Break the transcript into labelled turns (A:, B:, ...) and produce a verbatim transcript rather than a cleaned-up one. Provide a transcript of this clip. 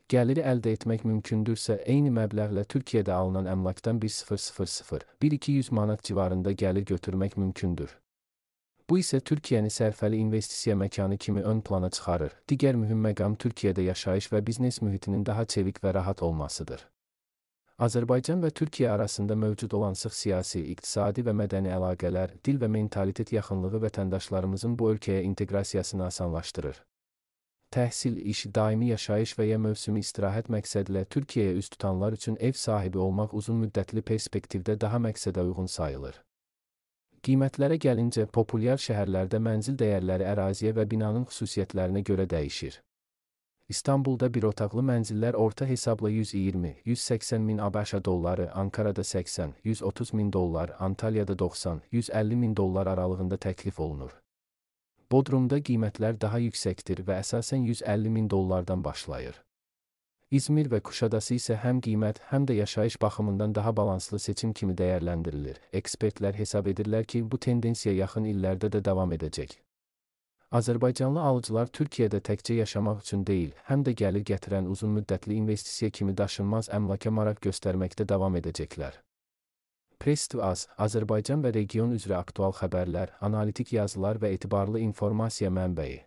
A: Gəliri əldə etmək mümkündürsə, eyni məbləğlə Türkiyədə alınan əmlakdan bir min bir iki yüz manat civarında gəlir götürmək mümkündür. Bu isə Türkiyəni sərfəli investisiya məkanı kimi ön plana çıxarır. Digər mühüm məqam Türkiyədə yaşayış və biznes mühitinin daha çevik və rahat olmasıdır. Azərbaycan və Türkiyə arasında mövcud olan sıx siyasi, iqtisadi və mədəni əlaqələr, dil və mentalitet yaxınlığı vətəndaşlarımızın bu ölkəyə inteqrasiyasını asanlaşdırır. Təhsil, iş, daimi yaşayış və ya mövsümi istirahət məqsədilə Türkiyəyə üz tutanlar üçün ev sahibi olmaq uzun müddətli perspektivdə daha məqsədə uyğun sayılır. Qiymətlərə gəlincə, populyar şəhərlərdə mənzil dəyərləri əraziyə və binanın xüsusiyyətlərinə görə dəyişir. İstanbulda bir otaqlı mənzillər orta hesabla yüz iyirmi yüz səksən min ABŞ dolları, Ankarada səksən yüz otuz min dollar, Antalyada doxsan yüz əlli min dollar aralığında təklif olunur. Bodrumda qiymətlər daha yüksəkdir və əsasən yüz əlli min dollardan başlayır. İzmir və Kuşadası isə həm qiymət, həm də yaşayış baxımından daha balanslı seçim kimi dəyərləndirilir. Ekspertlər hesab edirlər ki, bu tendensiya yaxın illərdə də davam edəcək. Azərbaycanlı alıcılar Türkiyədə təkcə yaşamaq üçün deyil, həm də gəlir gətirən uzun müddətli investisiya kimi daşınmaz əmlaka maraq göstərməkdə davam edəcəklər. Press to Az, Azərbaycan və region üzrə aktual xəbərlər, analitik yazılar və etibarlı informasiya mənbəyi.